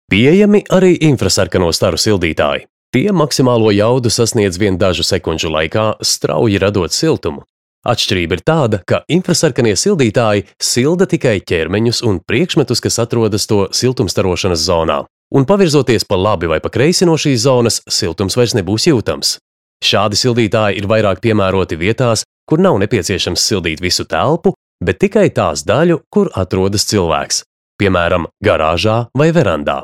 Pieejami arī infrasarkano staru sildītāji. Tie maksimālo jaudu sasniedz vien dažu sekundžu laikā, strauji radot siltumu. Atšķirība ir tāda, ka infrasarkanie sildītāji silda tikai ķermeņus un priekšmetus, kas atrodas to siltumstarošanas zonā. Un pavirzoties pa labi vai pa kreisi no šīs zonas, siltums vairs nebūs jūtams. Šādi sildītāji ir vairāk piemēroti vietās, kur nav nepieciešams sildīt visu telpu, bet tikai tās daļu, kur atrodas cilvēks, piemēram, garāžā vai verandā.